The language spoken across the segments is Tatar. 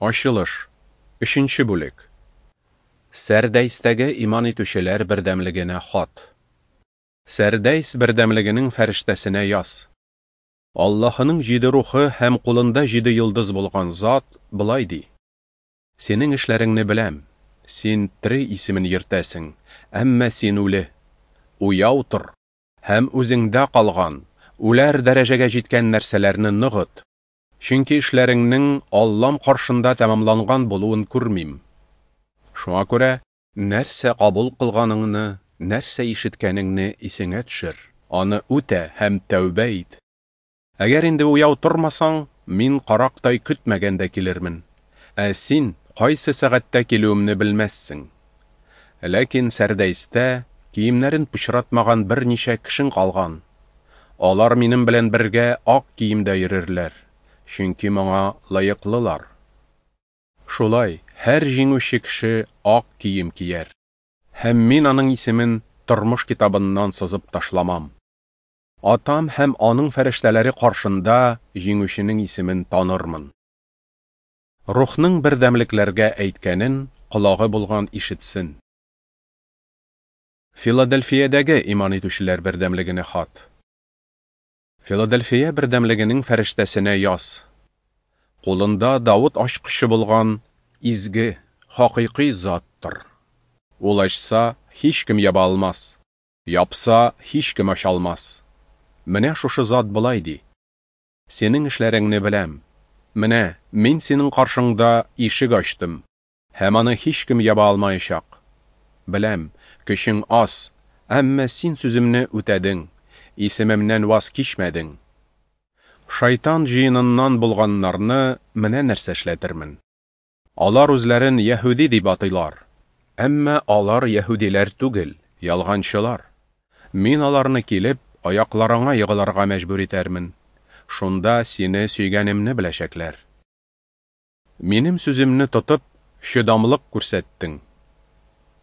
Ачылыш. Өченче бүлек. Сәрдәйстәге иман итүчеләр бердәмлегенә хат. Сәрдәйс бердәмлегенең фәрештәсенә яз. Аллаһының җиде рухы һәм кулында җиде йолдыз булган зат болай ди: Синең эшләреңне беләм. Син тере исемен йөртәсең, әмма син үле. Уяу тор һәм үзеңдә калган, үләр дәрәҗәгә җиткән нәрсәләрне ныгыт. Чөнки эшләреңнең Аллам каршында тәмамланган булуын күрмим. Шуңа күрә, нәрсә кабул кылганыңны, нәрсә ишеткәнеңне исеңә төшер, аны үтә һәм тәүбә ит. Әгәр инде уяу тормасаң, мин карактай көтмәгәндә килермен. Ә син кайсы сәгатьтә килүемне белмәссең. Ләкин Сәрдәйстә киемнәрен пычратмаган берничә кешең калган. Алар минем белән бергә ак киемдә йөрерләр, чөнки моңа лаеклылар. Шулай, һәр җиңүче кеше ак кием кияр, һәм мин аның исемен тормыш китабыннан сызып ташламам. Атам һәм аның фәрештәләре каршында җиңүченең исемен танырмын. Рухның бердәмлекләргә әйткәнен колагы булган ишетсен. Филадельфиядәге иман итүчеләр бердәмлегенә хат. Филадельфия бердәмлегенең фәрештәсенә яз. Кулында Давыт ачкычы булган изге, хакыйкый заттыр. Ул ачса, һичкем яба алмас, япса, һичкем ача алмас. Менә шушы зат болай ди: Синең эшләреңне беләм. Менә мин синең каршыңда ишек ачтым, һәм аны һичкем яба алмаячак. Беләм, көчең аз, әмма син сүземне үтәдең, исемемнән ваз кичмәдең. Шайтан җыеныннан булганнарны менә нәрсә эшләтермен. Алар үзләрен яһүди дип атыйлар, әмма алар яһүдиләр түгел, ялганчылар. Мин аларны килеп, аякларыңа егылырга мәҗбүр итәрмен. Шунда сине сөйгәнемне беләчәкләр. Минем сүземне тотып, чыдамлык күрсәттең.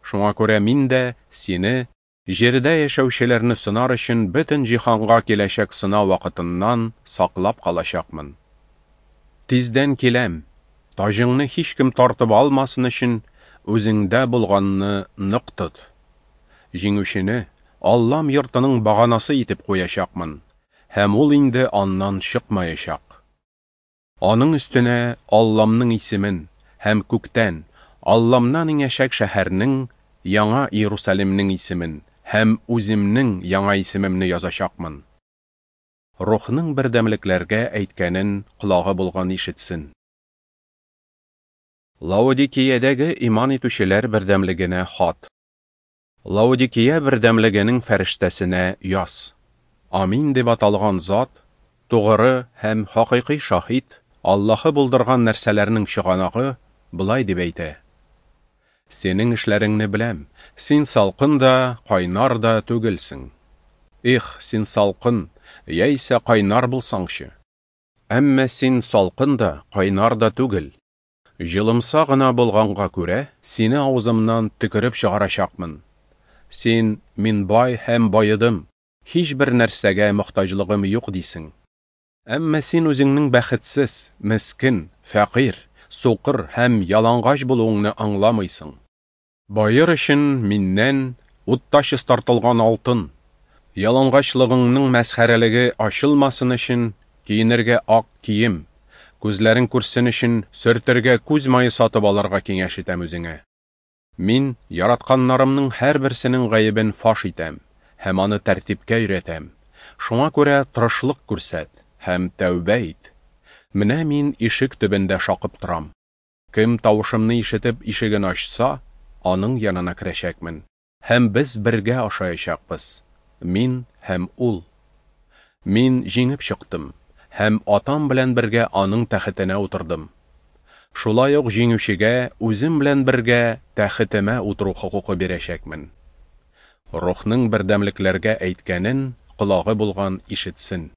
Шуңа күрә мин дә сине җирдә яшәүчеләрне сынар өчен бөтен җиһанга киләчәк сынау вакытыннан саклап калачакмын. Тиздән киләм. Таҗыңны һичкем тартып алмасын өчен үзеңдә булганны нык тот. Җиңүчене Аллам йортының баганасы итеп куячакмын, һәм ул инде аннан чыкмаячак. Аның өстенә Алламның исемен һәм күктән, Алламнан иңәчәк шәһәрнең, Яңа Иерусалимнең исемен һәм үземнең яңа исемемне язачакмын. Рухның бердәмлекләргә әйткәнен колагы булган ишетсен. Лаодикиядәге иман итүчеләр бердәмлегенә хат. Лаодикия бердәмлегенең фәрештәсенә яз. Амин дип аталган зат, тугры һәм хакыйкый шаһит, Аллаһы булдырган нәрсәләрнең чыганагы, болай дип әйтә: Синең эшләреңне беләм. Син салкын да, кайнар да түгелсең. Их, син салкын, яисә кайнар булсаңчы. Әмма син салкын да, кайнар да түгел. Җылымса гына булганга күрә, сине авызымнан төкереп чыгарачакмын. Син, мин бай һәм баедым, һичбер нәрсәгә мохтаҗлыгым юк, дисең. Әмма син үзеңнең бәхетсез, мескен, фәкыйрь, сукыр һәм ялангач булуыңны аңламыйсың. Баер өчен миннән утта чистартылган алтын, ялангачлыгыңның мәсхәрәлеге ачылмасын өчен киенергә ак кием, күзләрең күрсен өчен сөртергә күз мае сатып алырга киңәш итәм үзеңә. Мин яратканнарымның һәрберсенең гаебен фаш итәм һәм аны тәртипкә өйрәтәм. Шуңа күрә тырышлык күрсәт һәм тәүбә ит. Менә мин ишек төбендә шакып торам. Кем тавышымны ишетеп ишеген ачса, аның янына керәчәкмен, һәм без бергә ашаячакбыз, мин һәм ул. Мин җиңеп чыктым һәм Атам белән бергә аның тәхетенә утырдым. Шулай ук җиңүчегә үзем белән бергә тәхетемә утыру хокукы бирәчәкмен. Рухның бердәмлекләргә әйткәнен колагы булган ишетсен.